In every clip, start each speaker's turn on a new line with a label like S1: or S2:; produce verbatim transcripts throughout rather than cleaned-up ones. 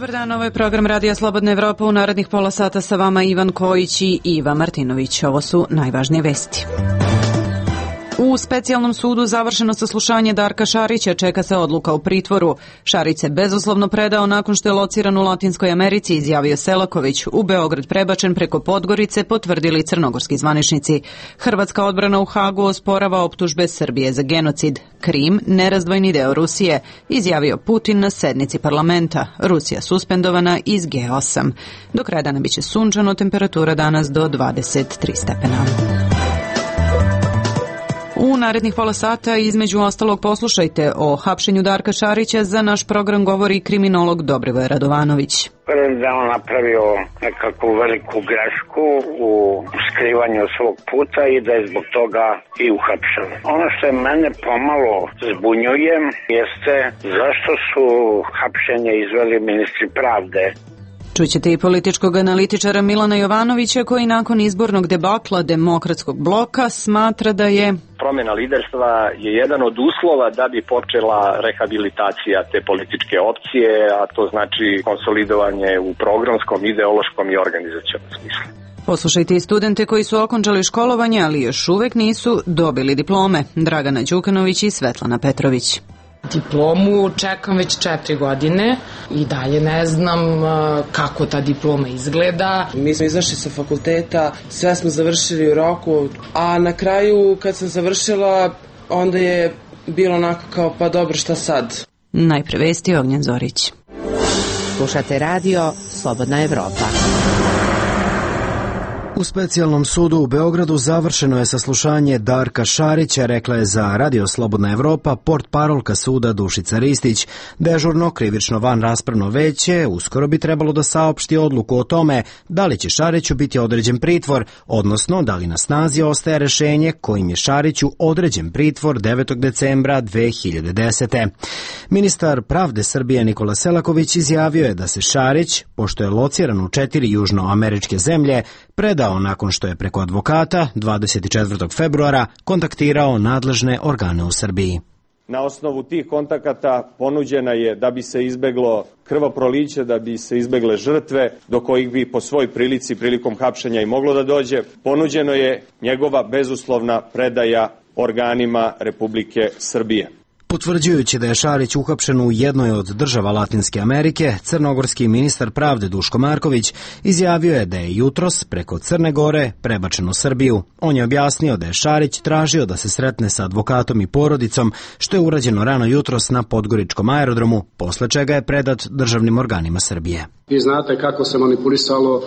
S1: Dobar dan, ovo je program Radija Slobodna Evropa. U narednih pola sata sa vama Ivan Kojić i Iva Martinović. Ovo su najvažnije vesti. U specijalnom sudu završeno saslušanje Darka Šarića, čeka se odluka u pritvoru. Šarić se bezuslovno predao nakon što je lociran u Latinskoj Americi, izjavio Selaković. U Beograd prebačen preko Podgorice, potvrdili crnogorski zvaničnici. Hrvatska odbrana u Hagu osporava optužbe Srbije za genocid. Krim, nerazdvojni deo Rusije, izjavio Putin na sednici parlamenta. Rusija suspendovana iz G osam. Do kraja dana biće sunčano, temperatura danas do dvadeset tri stepena. U narednih pola sata između ostalog poslušajte o hapšenju Darka Šarića. Za naš program govori kriminolog Dobrivoje Radovanović.
S2: Verujem da on napravio nekakvu veliku grešku u skrivanju svog puta i da je zbog toga i uhapšen. Ono što je mene pomalo zbunjuje jeste zašto su hapšenje izveli ministri pravde.
S1: Čućete i političkog analitičara Milana Jovanovića koji nakon izbornog debakla Demokratskog bloka smatra da je
S3: promjena liderstva je jedan od uslova da bi počela rehabilitacija te političke opcije, a to znači konsolidovanje u programskom, ideološkom i organizacionom smislu.
S1: Poslušajte i studente koji su okončali školovanje, ali još uvek nisu dobili diplome. Dragana Đukanović i Svetlana Petrović.
S4: Diplomu čekam već četiri godine i dalje ne znam kako ta diploma izgleda.
S5: Mi smo izašli sa fakulteta, sve smo završili u roku, a na kraju kad sam završila, onda je bilo onako kao pa dobro, šta sad?
S1: Najpre vesti Ognjen Zorić.
S6: Slušate radio Slobodna Evropa.
S7: U specijalnom sudu u Beogradu završeno je saslušanje Darka Šarića, rekla je za Radio Slobodna Evropa portparolka suda Dušica Ristić. Dežurno krivično van raspravno veće uskoro bi trebalo da saopšti odluku o tome da li će Šariću biti određen pritvor, odnosno da li na snazi ostaje rešenje kojim je Šariću određen pritvor devetog decembra dve hiljade desete. Ministar pravde Srbije Nikola Selaković izjavio je da se Šarić, pošto je lociran u četiri južnoameričke zemlje, predao nakon što je preko advokata dvadeset četvrtog februara kontaktirao nadležne organe u Srbiji.
S3: Na osnovu tih kontakata ponuđena je da bi se izbeglo krvoproliće, da bi se izbegle žrtve do kojih bi po svoj prilici prilikom hapšenja i moglo da dođe. Ponuđeno je njegova bezuslovna predaja organima Republike Srbije.
S7: Potvrđujući da je Šarić uhapšen u jednoj od država Latinske Amerike, crnogorski ministar pravde Duško Marković izjavio je da je jutros preko Crne Gore prebačen u Srbiju. On je objasnio da je Šarić tražio da se sretne sa advokatom i porodicom, što je urađeno rano jutros na Podgoričkom aerodromu, posle čega je predat državnim organima Srbije.
S8: Vi znate kako se manipulisalo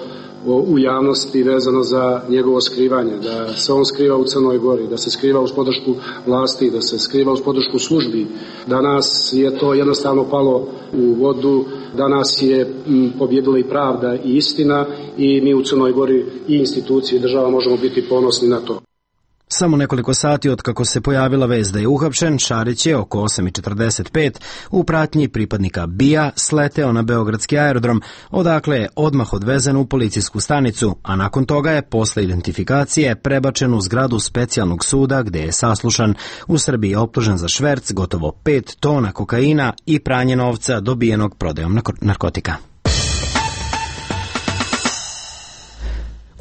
S8: u javnosti vezano za njegovo skrivanje, da se on skriva u Crnoj Gori, da se skriva uz podršku vlasti, da se skriva uz podršku službi. Danas je to jednostavno palo u vodu, danas je pobjedila i pravda i istina i mi u Crnoj Gori i institucije i država možemo biti ponosni na to.
S7: Samo nekoliko sati od kako se pojavila vest da je uhapšen, Šarić je oko osam i četrdeset pet u pratnji pripadnika B I A sleteo na beogradski aerodrom, odakle je odmah odvezen u policijsku stanicu, a nakon toga je posle identifikacije prebačen u zgradu specijalnog suda gde je saslušan. U Srbiji je optužen za šverc gotovo pet tona kokaina i pranje novca dobijenog prodajom narkotika.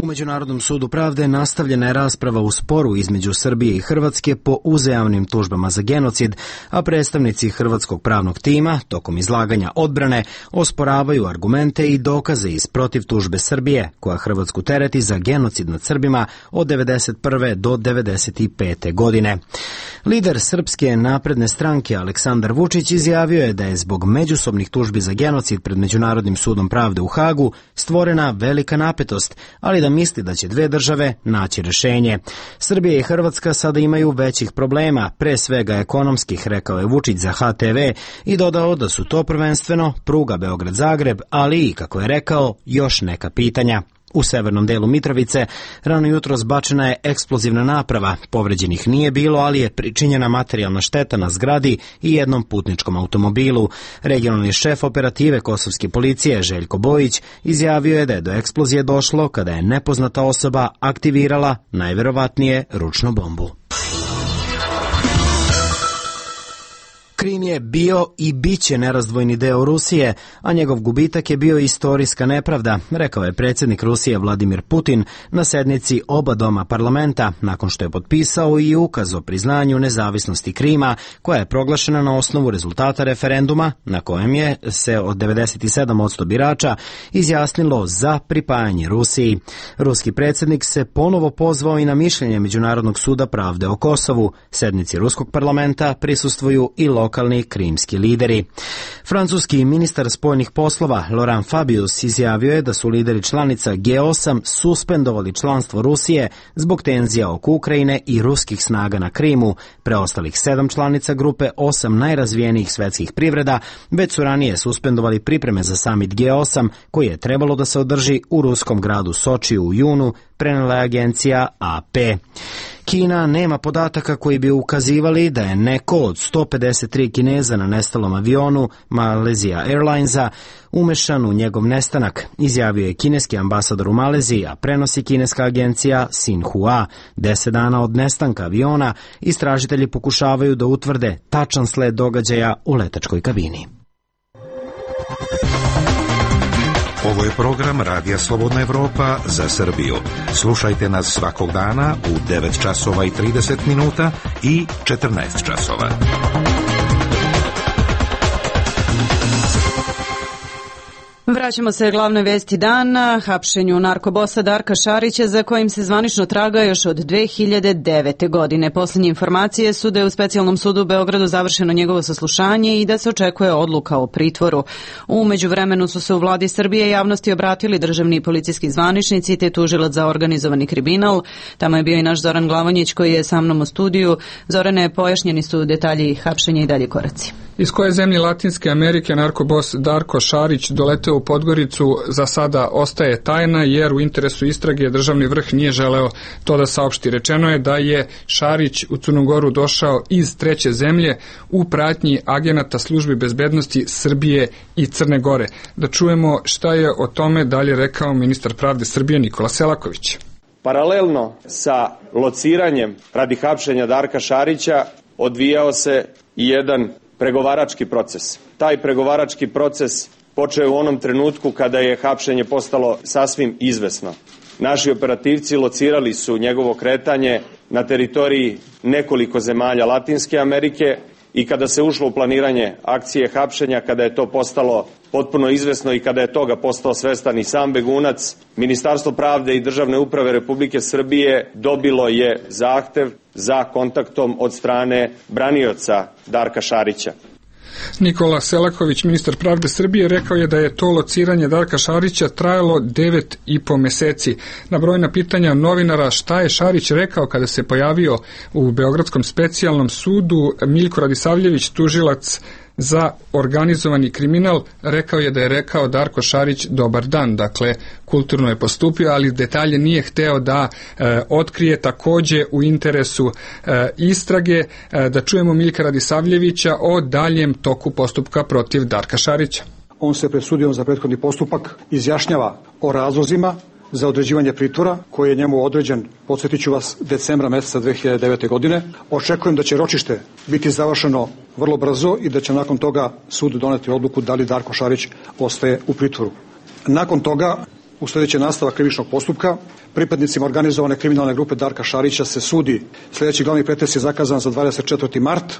S7: U Međunarodnom sudu pravde nastavljena je rasprava u sporu između Srbije i Hrvatske po uzajamnim tužbama za genocid, a predstavnici hrvatskog pravnog tima tokom izlaganja odbrane osporavaju argumente i dokaze iz protiv tužbe Srbije, koja Hrvatsku tereti za genocid nad Srbima od devedeset prve do devedeset pete godine. Lider Srpske napredne stranke Aleksandar Vučić izjavio je da je zbog međusobnih tužbi za genocid pred Međunarodnim sudom pravde u Hagu stvorena velika napetost, ali da misli da će dve države naći rešenje. Srbija i Hrvatska sada imaju većih problema, pre svega ekonomskih, rekao je Vučić za H T V i dodao da su to prvenstveno pruga Beograd-Zagreb, ali i, kako je rekao, još neka pitanja. U severnom delu Mitrovice rano jutro zbačena je eksplozivna naprava. Povređenih nije bilo, ali je pričinjena materijalna šteta na zgradi i jednom putničkom automobilu. Regionalni šef operative kosovske policije Željko Bojić izjavio je da je do eksplozije došlo kada je nepoznata osoba aktivirala najverovatnije ručnu bombu. Krim je bio i bit će nerazdvojni deo Rusije, a njegov gubitak je bio istorijska nepravda, rekao je predsjednik Rusije Vladimir Putin na sednici oba doma parlamenta, nakon što je potpisao i ukaz o priznanju nezavisnosti Krima, koja je proglašena na osnovu rezultata referenduma, na kojem je se od devedeset sedam posto birača izjasnilo za pripajanje Rusiji. Ruski predsjednik se ponovo pozvao i na mišljenje Međunarodnog suda pravde o Kosovu. Sednici ruskog parlamenta prisustvuju i lokalni krimski lideri. Francuski ministar spoljnih poslova Laurent Fabius izjavio je da su lideri članica G osam suspendovali članstvo Rusije zbog tenzija oko Ukrajine i ruskih snaga na Krimu. Preostalih sedam članica grupe osam najrazvijenijih svetskih privreda već su ranije suspendovali pripreme za samit G osam koji je trebalo da se održi u ruskom gradu Sočiju u junu, prenela je agencija A P. Kina nema podataka koji bi ukazivali da je neko od sto pedeset tri Kineza na nestalom avionu Malaysia Airlinesa umešan u njegov nestanak, izjavio je kineski ambasador u Maleziji, a prenosi kineska agencija Xinhua. Deset dana od nestanka aviona istražitelji pokušavaju da utvrde tačan sled događaja u letačkoj kabini.
S9: Ovo je program Radija Slobodna Evropa za Srbiju. Slušajte nas svakog dana u devet časova i trideset minuta i četrnaest časova.
S1: Vraćamo se glavnoj vesti dana, hapšenju narkobosa Darka Šarića, za kojim se zvanično traga još od dve hiljade devete. godine. Poslednje informacije su da je u specijalnom sudu u Beogradu završeno njegovo saslušanje i da se očekuje odluka o pritvoru. U međuvremenu su se u vladi Srbije javnosti obratili državni i policijski zvaničnici te tužilac za organizovani kriminal. Tamo je bio i naš Zoran Glavonjić koji je sa mnom u studiju. Zorane, pojašnjeni su detalji hapšenja i dalje koraci.
S10: Iz koje zemlje Latinske Amerike narkobos Darko Šarić doleteo u Podgoricu za sada ostaje tajna, jer u interesu istrage državni vrh nije želeo to da saopšti. Rečeno je da je Šarić u Crnu Goru došao iz treće zemlje u pratnji agenata službi bezbednosti Srbije i Crne Gore. Da čujemo šta je o tome dalje rekao ministar pravde Srbije Nikola Selaković.
S3: Paralelno sa lociranjem radi hapšenja Darka Šarića odvijao se i jedan pregovarački proces. Taj pregovarački proces počeo je u onom trenutku kada je hapšenje postalo sasvim izvesno. Naši operativci locirali su njegovo kretanje na teritoriji nekoliko zemalja Latinske Amerike i kada se ušlo u planiranje akcije hapšenja, kada je to postalo potpuno izvesno i kada je toga postao svestan i sam begunac, Ministarstvo pravde i državne uprave Republike Srbije dobilo je zahtev za kontaktom od strane branioca Darka Šarića.
S10: Nikola Selaković, ministar pravde Srbije, rekao je da je to lociranje Darka Šarića trajalo devet i po meseci. Na brojna pitanja novinara šta je Šarić rekao kada se pojavio u Beogradskom specijalnom sudu, Miljko Radisavljević, tužilac za organizovani kriminal, rekao je da je rekao Darko Šarić dobar dan, dakle kulturno je postupio, ali detalje nije hteo da e, otkrije, takođe u interesu e, istrage. E, da čujemo Miljka Radisavljevića o daljem toku postupka protiv Darka Šarića.
S11: On se pred sudijom za prethodni postupak izjašnjava o razlozima za određivanje pritvora koji je njemu određen, podsjetit ću vas, decembra meseca dve hiljade devete. godine. Očekujem da će ročište biti završeno vrlo brzo i da će nakon toga sud doneti odluku da li Darko Šarić ostaje u pritvoru. Nakon toga, u sljedeći nastavak krivičnog postupka, pripadnicima organizovane kriminalne grupe Darka Šarića se sudi. Sljedeći glavni pretres je zakazan za dvadeset četvrti mart.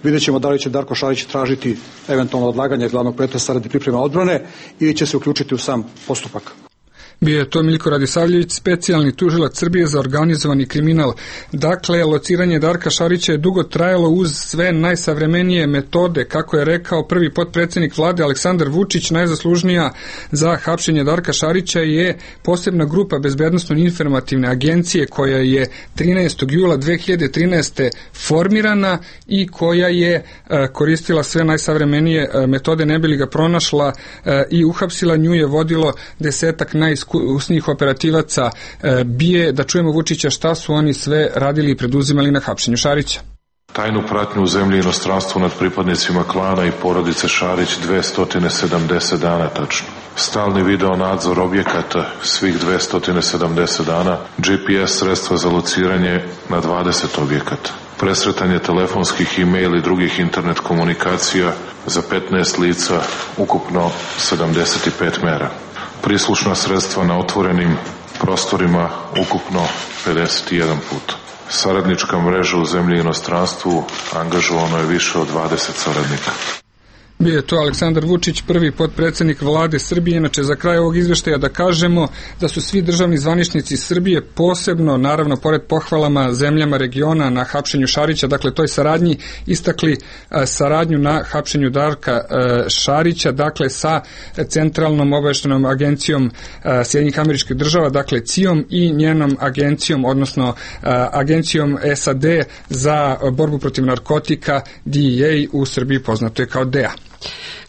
S11: Vidjet ćemo da li će Darko Šarić tražiti eventualno odlaganje glavnog pretresa radi pripreme odbrane ili će se uključiti u sam postupak.
S10: Bio je to Miljko Radisavljević, specijalni tužilac Srbije za organizovani kriminal. Dakle, lociranje Darka Šarića je dugo trajalo uz sve najsavremenije metode. Kako je rekao prvi potpredsjednik vlade Aleksandar Vučić, najzaslužnija za hapšenje Darka Šarića je posebna grupa bezbednosno-informativne agencije koja je trinaestog jula dve hiljade trinaeste. formirana i koja je e, koristila sve najsavremenije e, metode, ne bi li ga pronašla e, i uhapsila. Nju je vodilo desetak najiskusnijih usnih operativaca bije. Da čujemo Vučića šta su oni sve radili i preduzimali na hapšenju Šarića.
S12: Tajnu pratnju u zemlji i inostranstvu nad pripadnicima klana i porodice Šarić dvesta sedamdeset dana tačno. Stalni video nadzor objekata svih dvesta sedamdeset dana, G P S sredstva za lociranje na dvadeset objekata. presretanje telefonskih, e-mail i drugih internet komunikacija za petnaest lica, ukupno sedamdeset pet mera. Prislušna sredstva na otvorenim prostorima, ukupno pedeset jedan put. Saradnička mreža u zemlji i inostranstvu, angažovano je više od dvadeset saradnika.
S10: Bio je to Aleksandar Vučić, prvi potpredsednik vlade Srbije. Inače, za kraj ovog izveštaja da kažemo da su svi državni zvaničnici Srbije, posebno, naravno, pored pohvalama zemljama regiona na hapšenju Šarića, dakle, toj saradnji, istakli a, saradnju na hapšenju Darka a, Šarića, dakle, sa Centralnom obaveštajnom agencijom a, Sjedinjenih Američkih Država, dakle, C I O-m i njenom agencijom, odnosno a, agencijom S A D za borbu protiv narkotika, D E A, u Srbiji poznato je kao D E A.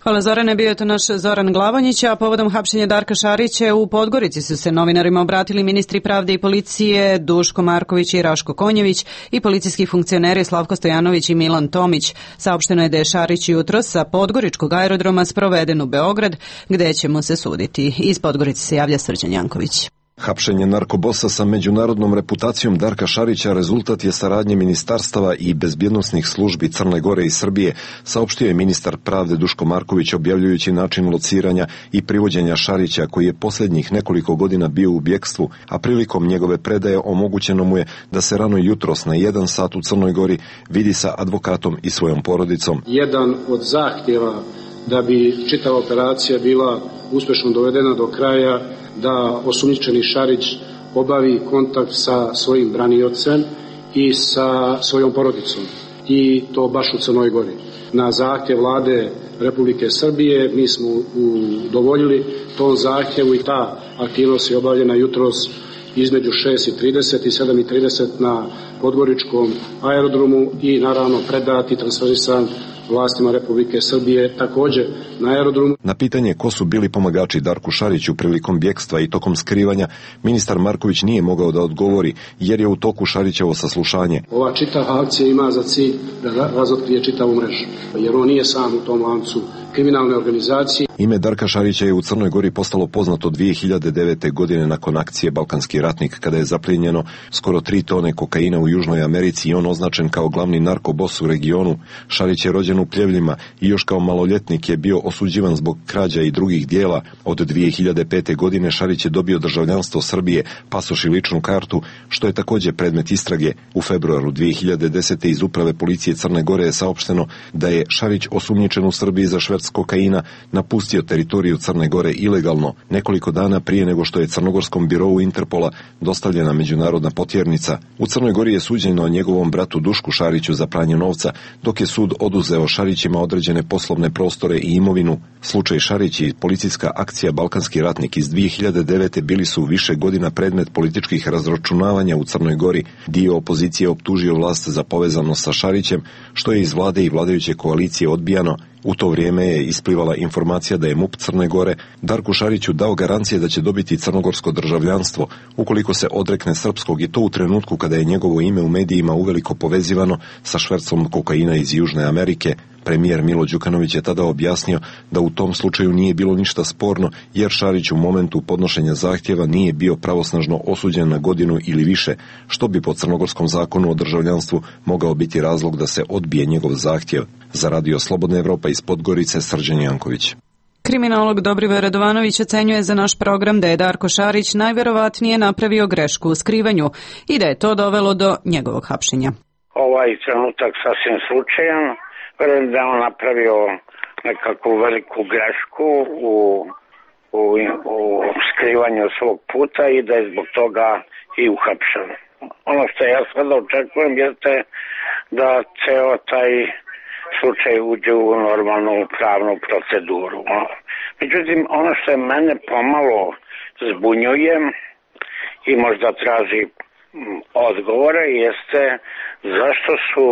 S1: Hvala Zorane, bio je to naš Zoran Glavonjić, a povodom hapšenja Darka Šarića u Podgorici su se novinarima obratili ministri pravde i policije Duško Marković i Raško Konjević i policijski funkcioneri Slavko Stojanović i Milan Tomić. Saopšteno je da je Šarić jutros sa Podgoričkog aerodroma sproveden u Beograd, gde će mu se suditi. Iz Podgorice se javlja Srđan Janković.
S13: Hapšenje narkobosa sa međunarodnom reputacijom Darka Šarića rezultat je saradnje ministarstava i bezbjednosnih službi Crne Gore i Srbije, saopštio je ministar pravde Duško Marković objavljujući način lociranja i privođenja Šarića, koji je posljednjih nekoliko godina bio u bjekstvu, a prilikom njegove predaje omogućeno mu je da se rano jutros na jedan sat u Crnoj Gori vidi sa advokatom i svojom porodicom.
S8: Jedan od zahtjeva da bi čitava operacija bila uspješno dovedena do kraja, da osumnjičeni Šarić obavi kontakt sa svojim braniocem i sa svojom porodicom, i to baš u Crnoj Gori. Na zahtjev vlade Republike Srbije mi smo udovoljili tom zahtjevu i ta aktivnost je obavljena jutros između šest i trideset i sedam i trideset na Podgoričkom aerodromu i naravno predat i transferisan vlastima Republike Srbije također na aerodromu.
S13: Na pitanje ko su bili pomagači Darku Šariću prilikom bjekstva i tokom skrivanja, ministar Marković nije mogao da odgovori jer je u toku Šarićevo saslušanje.
S8: Ova čitava akcija ima za cilj da razotkrije čitavu mrežu, jer on nije sam u tom lancu kriminalne organizacije.
S13: Ime Darka Šarića je u Crnoj Gori postalo poznato dvije hiljade devete. godine nakon akcije Balkanski ratnik, kada je zaplijenjeno skoro tri tone kokaina u Južnoj Americi i on označen kao glavni narkobos u regionu. Šarić je rođen u Pljevljima i još kao maloljetnik je bio osuđivan zbog krađa i drugih dijela. Od dvije hiljade pete. godine Šarić je dobio državljanstvo Srbije, pasoš i ličnu kartu, što je također predmet istrage. U februaru dvije hiljade desete. iz uprave policije Crne Gore je saopšteno da je Šarić osumnjičen u Srbiji za šverc kokaina napustio teritoriju Crne Gore ilegalno nekoliko dana prije nego što je Crnogorskom birou Interpola dostavljena međunarodna potjernica. U Crnoj Gori je suđeno njegovom bratu Dušku Šariću za pranje novca, dok je sud oduzeo Šarićima određene poslovne prostore i imovinu. Slučaj Šarić i policijska akcija Balkanski ratnik iz dvije hiljade devete. bili su više godina predmet političkih razračunavanja u Crnoj Gori. Dio opozicije optužio vlast za povezanost sa Šarićem, što je iz vlade i vladajuće koalicije odbijano. U to vrijeme je isplivala informacija da je MUP Crne Gore Darku Šariću dao garancije da će dobiti crnogorsko državljanstvo ukoliko se odrekne srpskog, i to u trenutku kada je njegovo ime u medijima uveliko povezivano sa švercom kokaina iz Južne Amerike. Premijer Milo Đukanović je tada objasnio da u tom slučaju nije bilo ništa sporno, jer Šarić u momentu podnošenja zahtjeva nije bio pravosnažno osuđen na godinu ili više, što bi po crnogorskom zakonu o državljanstvu mogao biti razlog da se odbije njegov zahtjev. Za Radio Slobodna Evropa iz Podgorice, Srđan Janković.
S1: Kriminolog Dobrivoje Radovanović ocenjuje za naš program da je Darko Šarić najverovatnije napravio grešku u skrivanju i da je to dovelo do njegovog hapšenja.
S2: Ovaj trenutak sasvim slučajan. Verujem da je on napravio nekakvu veliku grešku u, u, u skrivanju svog puta i da je zbog toga i uhapšen. Ono što ja sada očekujem jeste da ceo taj slučaj uđe u normalnu pravnu proceduru. Međutim, ono što je mene pomalo zbunjuje i možda traži odgovore jeste zašto su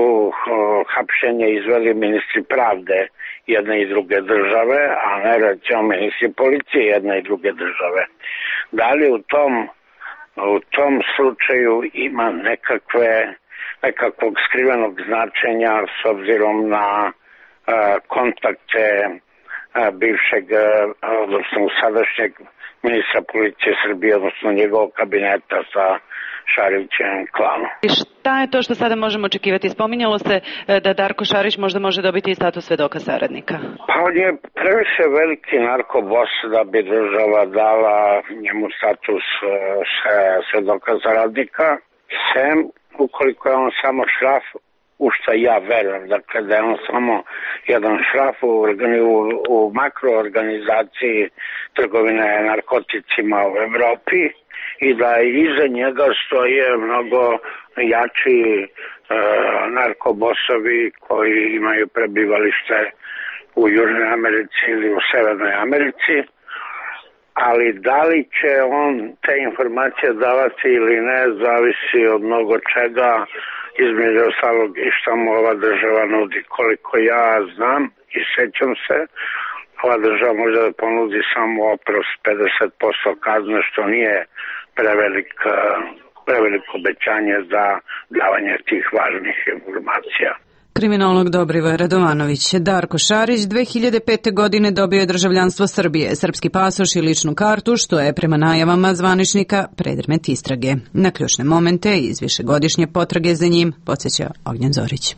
S2: hapšenje izveli ministri pravde jedne i druge države, a ne recimo ministri policije jedne i druge države. Da li u tom, u tom slučaju ima nekakve, nekakvog skrivenog značenja s obzirom na uh, kontakte uh, bivšeg uh, odnosno u sadašnjeg ministra policije Srbije, odnosno njegovog kabineta sa Šarićem klanom.
S1: I šta je to što sada možemo očekivati? Spominjalo se da Darko Šarić možda može dobiti i status svedoka saradnika.
S2: Pa on je previše veliki narkobos da bi država dala njemu status svedoka saradnika, sem ukoliko je on samo šraf, u što ja verujem, dakle da je on samo jedan šraf u, u, u makroorganizaciji trgovine narkoticima u Evropi i da iza njega stoje mnogo jači e, narkobosovi koji imaju prebivalište u Južnoj Americi ili u Severnoj Americi, ali da li će on te informacije davati ili ne, zavisi od mnogo čega, između ostalog i što mu ova država nudi. Koliko ja znam i sećam se, ova država može da ponudi samo oprost pedeset posto kazne, što nije prevelik, preveliko obećanje za davanje tih važnih informacija.
S1: Kriminolog Dobrivoje Radovanović. Darko Šarić dve hiljade pete. godine dobio je državljanstvo Srbije, srpski pasoš i ličnu kartu, što je prema najavama zvaničnika predmet istrage. Na ključne momente iz višegodišnje potrage za njim podsjeća Ognjen Zorić.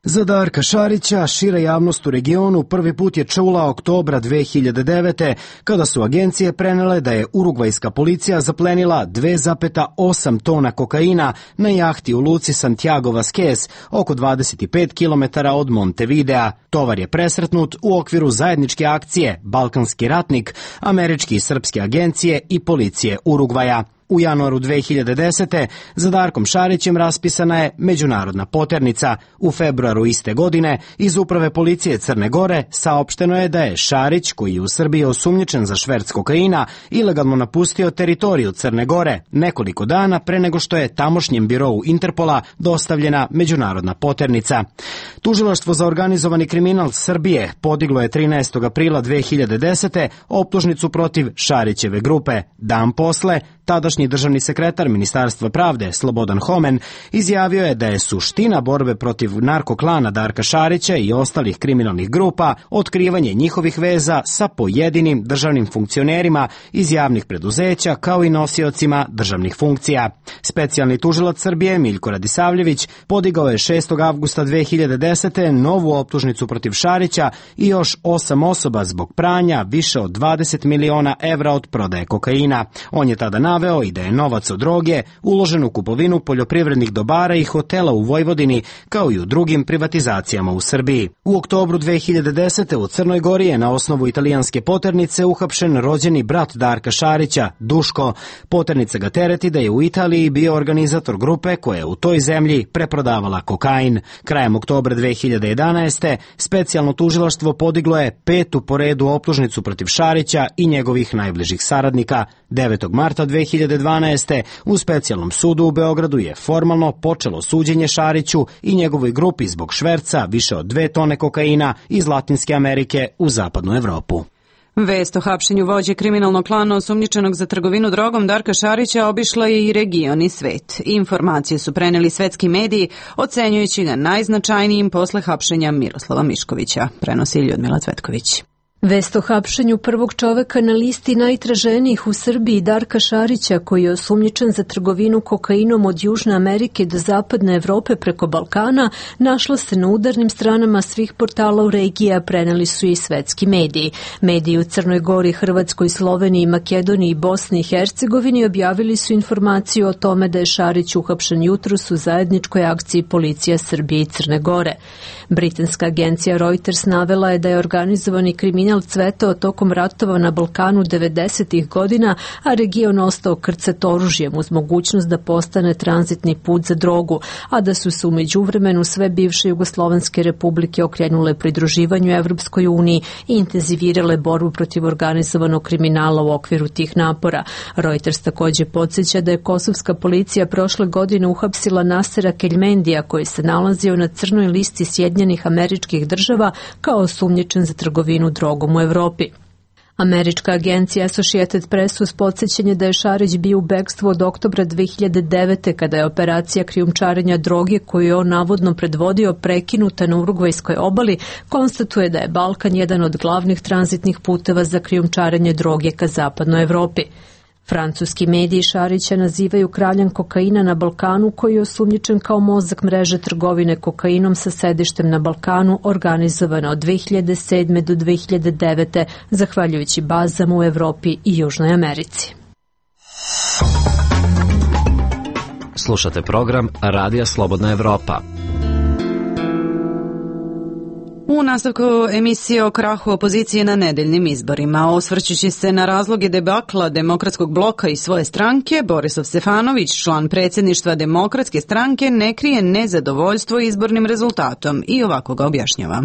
S7: Za Darka Šarića šira javnost u regionu prvi put je čula oktobra dve hiljade devete. kada su agencije prenele da je urugvajska policija zaplenila dve zarez osam tona kokaina na jahti u luci Santiago Vasquez, oko dvadeset pet kilometara od Montevidea. Tovar je presretnut u okviru zajedničke akcije Balkanski ratnik, američke i srpske agencije i policije Urugvaja. U januaru dve hiljade desete. za Darkom Šarićem raspisana je međunarodna poternica. U februaru iste godine iz Uprave policije Crne Gore saopšteno je da je Šarić, koji je u Srbiji osumnjičen za šverc kokaina, ilegalno napustio teritoriju Crne Gore nekoliko dana pre nego što je tamošnjem birou Interpola dostavljena međunarodna poternica. Tužilaštvo za organizovani kriminal Srbije podiglo je trinaestog aprila dve hiljade desete. optužnicu protiv Šarićeve grupe. Dan posle, tadašnji državni sekretar Ministarstva pravde Slobodan Homen izjavio je da je suština borbe protiv narkoklana Darka Šarića i ostalih kriminalnih grupa otkrivanje njihovih veza sa pojedinim državnim funkcionerima iz javnih preduzeća kao i nosiocima državnih funkcija. Specijalni tužilac Srbije Miljko Radisavljević podigao je šestog avgusta dve hiljade desete. novu optužnicu protiv Šarića i još osam osoba zbog pranja više od dvadeset miliona evra od prodaje kokaina. On je tada naveo i da je novac od droge uložen u kupovinu poljoprivrednih dobara i hotela u Vojvodini, kao i u drugim privatizacijama u Srbiji. U oktobru dve hiljade desete. u Crnoj Gori je na osnovu italijanske poternice uhapšen rođeni brat Darka Šarića, Duško. Poternica ga tereti da je u Italiji bio organizator grupe koja je u toj zemlji preprodavala kokain. Krajem oktobra dve hiljade jedanaeste. specijalno tužilaštvo podiglo je petu po redu optužnicu protiv Šarića i njegovih najbližih saradnika. devetog marta dve hiljade dvanaeste. u specijalnom sudu u Beogradu je formalno počelo suđenje Šariću i njegovoj grupi zbog šverca više od dve tone kokaina iz Latinske Amerike u zapadnu Evropu.
S1: Vest o hapšenju vođe kriminalnog klana osumnjičenog za trgovinu drogom Darka Šarića obišla je i region i svet. Informacije su preneli svetski mediji, ocenjujući ga najznačajnijim posle hapšenja Miroslava Miškovića, prenosi Ljudmila Cvetković.
S14: Vest o hapšenju prvog čoveka na listi najtraženijih u Srbiji Darka Šarića, koji je osumnjičen za trgovinu kokainom od Južne Amerike do Zapadne Evrope preko Balkana, našla se na udarnim stranama svih portala u regiji, a preneli su i svetski mediji. Mediji u Crnoj Gori, Hrvatskoj, Sloveniji, Makedoniji, Bosni i Hercegovini objavili su informaciju o tome da je Šarić uhapšen jutros u zajedničkoj akciji policija Srbije i Crne Gore. Britanska agencija Reuters navela je da je organizovani kriminal cvetao tokom ratova na Balkanu devedesetih godina, a region ostao krcat oružjem uz mogućnost da postane tranzitni put za drogu, a da su se u međuvremenu sve bivše jugoslovenske republike okrenule pridruživanju Evropskoj uniji i intenzivirale borbu protiv organizovanog kriminala u okviru tih napora. Reuters takođe podsjeća da je kosovska policija prošle godine uhapsila Nasera Keljmendija, koji se nalazio na crnoj listi Sjedinjenih Američkih Država kao osumnjičen za trgovinu drogom u Evropi. Američka agencija Associated Press uz podsjećanje da je Šarić bio u bekstvu od oktobra dve hiljade devete. kada je operacija krijumčarenja droge koju je on navodno predvodio prekinuta na Urugvajskoj obali, konstatuje da je Balkan jedan od glavnih tranzitnih puteva za krijumčarenje droge ka zapadnoj Evropi. Francuski mediji Šarića nazivaju kraljem kokaina na Balkanu, koji je osumnjičen kao mozak mreže trgovine kokainom sa sedištem na Balkanu, organizovana od dve hiljade sedme. do dve hiljade devete. zahvaljujući bazama u Evropi i Južnoj Americi.
S15: Slušate program Radija Slobodna Evropa.
S1: U nastavku emisije o krahu opozicije na nedeljnim izborima, osvrćući se na razloge debakla Demokratskog bloka i svoje stranke, Borislav Stefanović, član predsjedništva Demokratske stranke, ne krije nezadovoljstvo izbornim rezultatom i ovako ga objašnjava.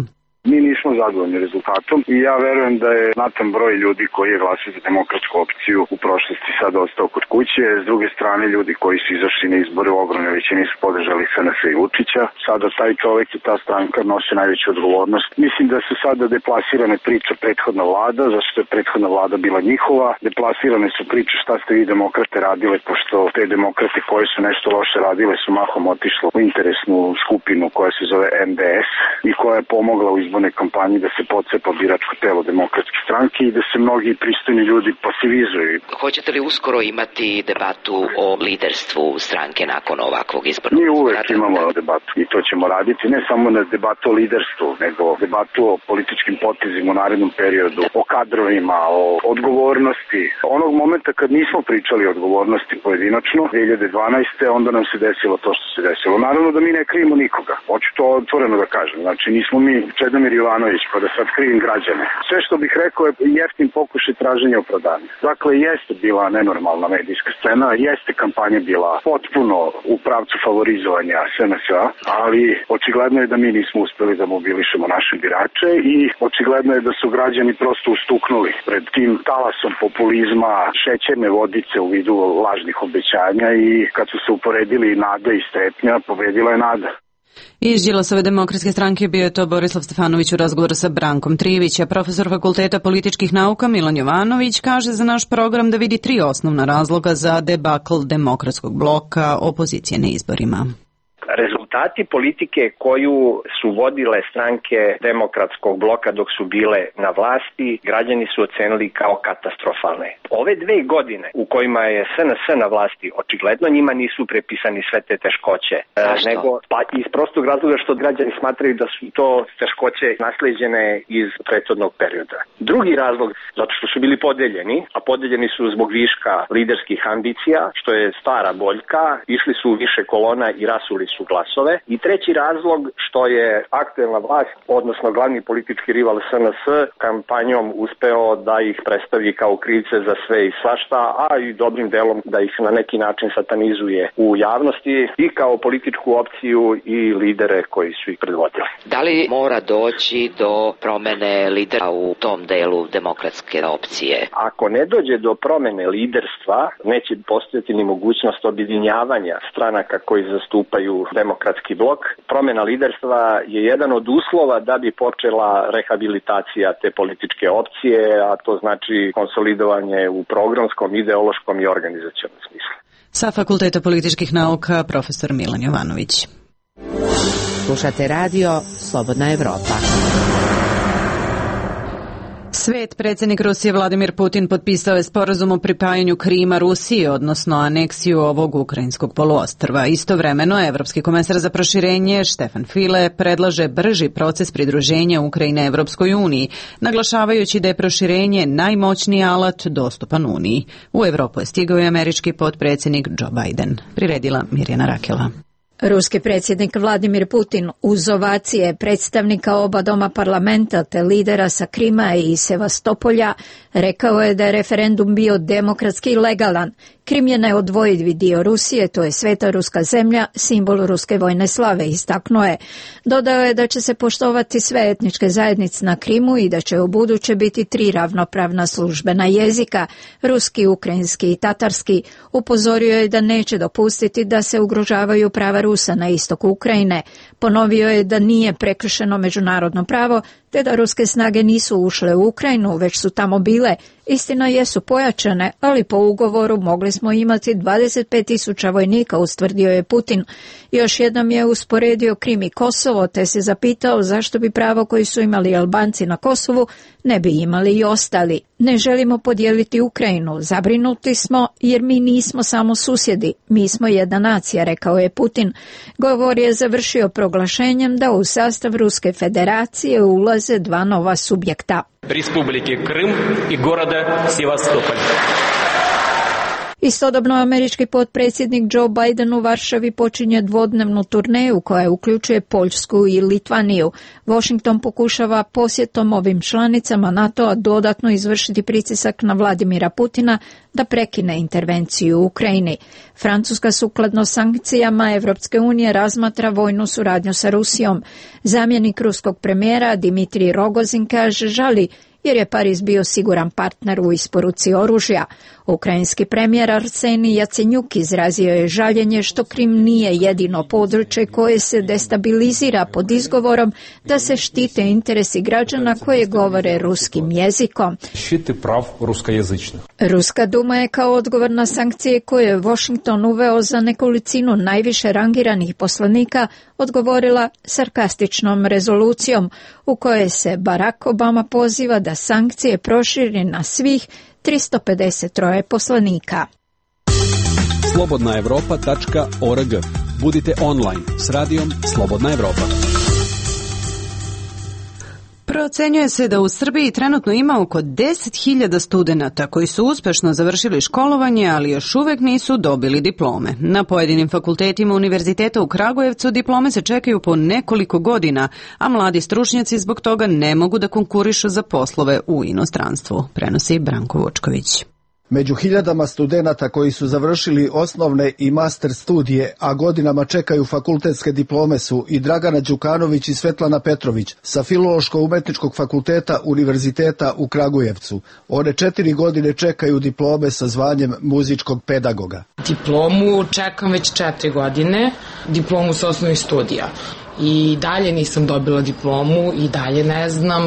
S16: Mi nismo zadovoljni rezultatom i ja verujem da je znatan broj ljudi koji je glasio za demokratsku opciju u prošlosti sad ostao kod kuće. S druge strane, ljudi koji su izašli na izbore u ogromnoj većini su podržali S N S i Vučića. Sada taj čovjek i ta stranka nose najveću odgovornost. Mislim da su sada deplasirane priče prethodna vlada, zašto je prethodna vlada bila njihova. Deplasirane su priče šta ste vi demokrate radile, pošto te demokrate koje su nešto loše radile su mahom otišlo u interesnu skupinu koja se zove M D S i koja je pomogla u izboru kampanji da se pocepa biračko telo Demokratske stranke i da se mnogi pristojni ljudi pasivizuju.
S17: Hoćete li uskoro imati debatu o liderstvu stranke nakon ovakvog izbornog?
S16: Mi uvek imamo debatu i to ćemo raditi, ne samo na debatu o liderstvu, nego debatu o političkim potezima u narednom periodu, o kadrovima, o odgovornosti. Onog momenta kad nismo pričali o odgovornosti pojedinačno, dve hiljade dvanaeste. onda nam se desilo to što se desilo. Naravno da mi ne krijemo nikoga, hoću to otvoreno da kažem. Znači nismo mi Čedomir Jovanović, pa da sad krivim građane. Sve što bih rekao je jeftin pokušaj traženja opravdanja. Dakle, jeste bila nenormalna medijska scena, jeste kampanja bila potpuno u pravcu favorizovanja S N S-a, ali očigledno je da mi nismo uspeli da mobilišemo naše birače i očigledno je da su građani prosto ustuknuli pred tim talasom populizma, šećerne vodice u vidu lažnih obećanja i kad su se uporedili nada i strepnja, pobedila je nada.
S1: Iz Đilasove demokratske stranke bio je to Borislav Stefanović u razgovoru sa Brankom Trivića. Profesor Fakulteta političkih nauka Milan Jovanović kaže za naš program da vidi tri osnovna razloga za debakl Demokratskog bloka opozicije na izborima.
S18: Rezultati politike koju su vodile stranke Demokratskog bloka dok su bile na vlasti, građani su ocenili kao katastrofalne. Ove dve godine u kojima je S N S na vlasti, očigledno njima nisu prepisani sve te teškoće.
S17: Zašto?
S18: Nego, pa iz prostog razloga što građani smatraju da su to teškoće nasleđene iz prethodnog perioda. Drugi razlog, zato što su bili podeljeni, a podeljeni su zbog viška liderskih ambicija, što je stara boljka, išli su u više kolona i rasuli su glasove. I treći razlog što je aktuelna vlast, odnosno glavni politički rival S N S, kampanjom uspeo da ih predstavi kao krivce za sve i svašta, a i dobrim delom da ih na neki način satanizuje u javnosti i kao političku opciju i lidere koji su ih predvodili.
S17: Da li mora doći do promene lidera u tom delu demokratske opcije?
S18: Ako ne dođe do promene liderstva, neće postojati ni mogućnost objedinjavanja stranaka koji zastupaju Demokratski blok. Promjena liderstva je jedan od uslova da bi počela rehabilitacija te političke opcije, a to znači konsolidovanje u programskom, ideološkom i organizacionom smislu.
S1: Sa Fakulteta političkih nauka profesor Milan Jovanović.
S6: Slušate radio Slobodna Evropa.
S1: Svet, predsjednik Rusije Vladimir Putin potpisao je sporazum o pripajanju Krima Rusiji, odnosno aneksiju ovog ukrajinskog poluostrva. Istovremeno, Evropski komesar za proširenje Štefan File predlaže brži proces pridruženja Ukrajine Evropskoj uniji, naglašavajući da je proširenje najmoćniji alat dostupan Uniji. U Evropu je stigao i američki potpredsjednik Joe Biden. Priredila Mirjana Rakela.
S19: Ruski predsjednik Vladimir Putin uz ovacije predstavnika oba doma parlamenta te lidera sa Krima i Sevastopolja rekao je da je referendum bio demokratski i legalan. Krim je neodvojivi dio Rusije, to je sveta ruska zemlja, simbol ruske vojne slave, istaknuo je. Dodao je da će se poštovati sve etničke zajednice na Krimu i da će u buduće biti tri ravnopravna službena jezika, ruski, ukrajinski i tatarski. Upozorio je da neće dopustiti da se ugrožavaju prava Rusa na istoku Ukrajine. Ponovio je da nije prekršeno međunarodno pravo te da ruske snage nisu ušle u Ukrajinu, već su tamo bile. Istina jesu pojačane, ali po ugovoru mogli smo imati dvadeset pet tisuća vojnika, ustvrdio je Putin. Još jednom je usporedio Krim i Kosovo, te se zapitao zašto bi pravo koji su imali Albanci na Kosovu ne bi imali i ostali. Ne želimo podijeliti Ukrajinu, zabrinuti smo jer mi nismo samo susjedi, mi smo jedna nacija, rekao je Putin. Govor je završio proglašenjem da u sastav Ruske federacije ulaze dva nova subjekta.
S20: Республики Крым и города Севастополь.
S19: Istodobno američki potpredsjednik Joe Biden u Varšavi počinje dvodnevnu turneju koja uključuje Poljsku i Litvaniju. Washington pokušava posjetom ovim članicama NATO-a dodatno izvršiti pritisak na Vladimira Putina da prekine intervenciju u Ukrajini. Francuska sukladno sankcijama Evropske unije razmatra vojnu suradnju sa Rusijom. Zamjenik ruskog premijera Dimitrij Rogozin kaže žali jer je Pariz bio siguran partner u isporuci oružja. Ukrajinski premijer Arsenij Jacenjuk izrazio je žaljenje što Krim nije jedino područje koje se destabilizira pod izgovorom da se štite interesi građana koje govore ruskim jezikom. Ruska duma je kao odgovor na sankcije koje je Washington uveo za nekolicinu najviše rangiranih poslanika odgovorila sarkastičnom rezolucijom u kojoj se Barack Obama poziva da sankcije proširi na svih tristo pedeset tri poslanika.
S21: slobodna evropa tačka org. Budite online s radijom Slobodna Evropa.
S1: Procenjuje se da u Srbiji trenutno ima oko deset hiljada studenata koji su uspešno završili školovanje, ali još uvek nisu dobili diplome. Na pojedinim fakultetima Univerziteta u Kragujevcu diplome se čekaju po nekoliko godina, a mladi stručnjaci zbog toga ne mogu da konkurišu za poslove u inostranstvu, prenosi Branko Vučković.
S22: Među hiljadama studenata koji su završili osnovne i master studije, a godinama čekaju fakultetske diplome su i Dragana Đukanović i Svetlana Petrović sa Filološko-umetničkog fakulteta Univerziteta u Kragujevcu. One četiri godine čekaju diplome sa zvanjem muzičkog pedagoga.
S4: Diplomu čekam već četiri godine, diplomu sa osnovnih studija. I dalje nisam dobila diplomu i dalje ne znam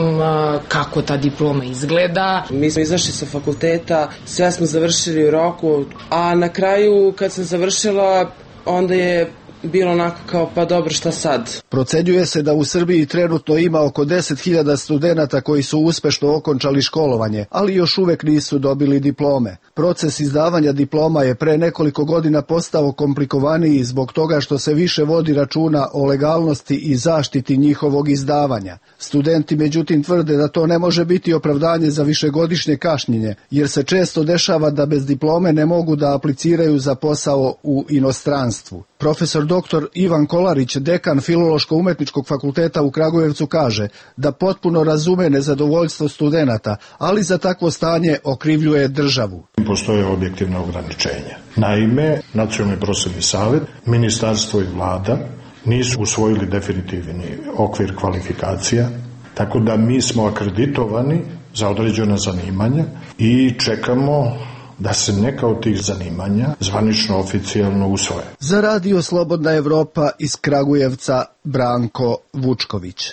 S4: kako ta diploma izgleda.
S5: Mi smo izašli sa fakulteta, sve smo završili u roku, a na kraju kad sam završila onda je bilo onako kao pa dobro šta sad.
S22: Procenjuje se da u Srbiji trenutno ima oko deset hiljada studenata koji su uspešno okončali školovanje, ali još uvek nisu dobili diplome. Proces izdavanja diploma je pre nekoliko godina postao komplikovaniji zbog toga što se više vodi računa o legalnosti i zaštiti njihovog izdavanja. Studenti međutim tvrde da to ne može biti opravdanje za višegodišnje kašnjenje, jer se često dešava da bez diplome ne mogu da apliciraju za posao u inostranstvu. Profesor doktor Ivan Kolarić, dekan Filološko-umetničkog fakulteta u Kragujevcu, kaže da potpuno razume nezadovoljstvo studenata, ali za takvo stanje okrivljuje državu.
S23: Postoje objektivna ograničenja. Naime, Nacionalni prosvetni savet, ministarstvo i vlada nisu usvojili definitivni okvir kvalifikacija, tako da mi smo akreditovani za određena zanimanja i čekamo da se neka od tih zanimanja zvanično oficijalno usvoje.
S22: Za Radio Slobodna Evropa iz Kragujevca, Branko Vučković.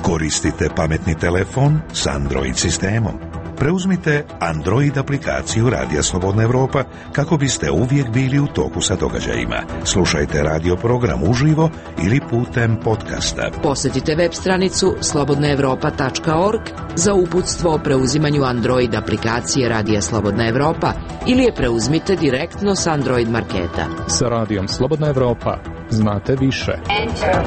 S9: Koristite pametni telefon s Android sistemom. Preuzmite Android aplikaciju Radija Slobodna Evropa kako biste uvijek bili u toku sa događajima. Slušajte radio program uživo ili putem podcasta.
S6: Posjetite web stranicu slobodna evropa tačka org za uputstvo o preuzimanju Android aplikacije Radija Slobodna Evropa ili je preuzmite direktno s Android marketa.
S24: Sa Radijom Slobodna Evropa znate više. Enter.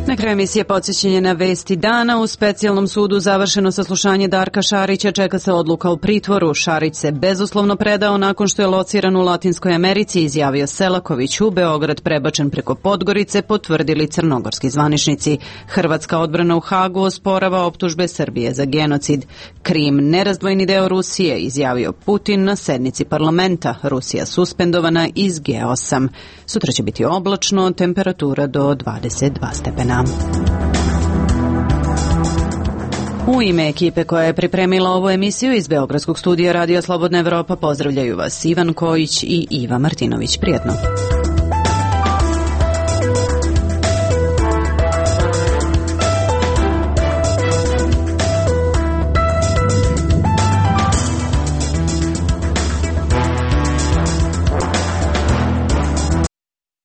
S1: Na kraju emisije podsjećanje na vesti dana. U specijalnom sudu završeno saslušanje Darka Šarića, čeka se odluka o pritvoru. Šarić se bezuslovno predao nakon što je lociran u Latinskoj Americi, izjavio Selaković. U Beograd prebačen preko Podgorice, potvrdili crnogorski zvaničnici. Hrvatska odbrana u Hagu osporava optužbe Srbije za genocid. Krim nerazdvojni deo Rusije, izjavio Putin na sednici parlamenta. Rusija suspendovana iz G osam. Sutra će biti oblačno, temperatura do dvadeset dva stepena. U ime ekipe koja je pripremila ovu emisiju iz Beogradskog studija Radija Slobodna Evropa pozdravljaju vas Ivan Kojić i Iva Martinović. Prijetno.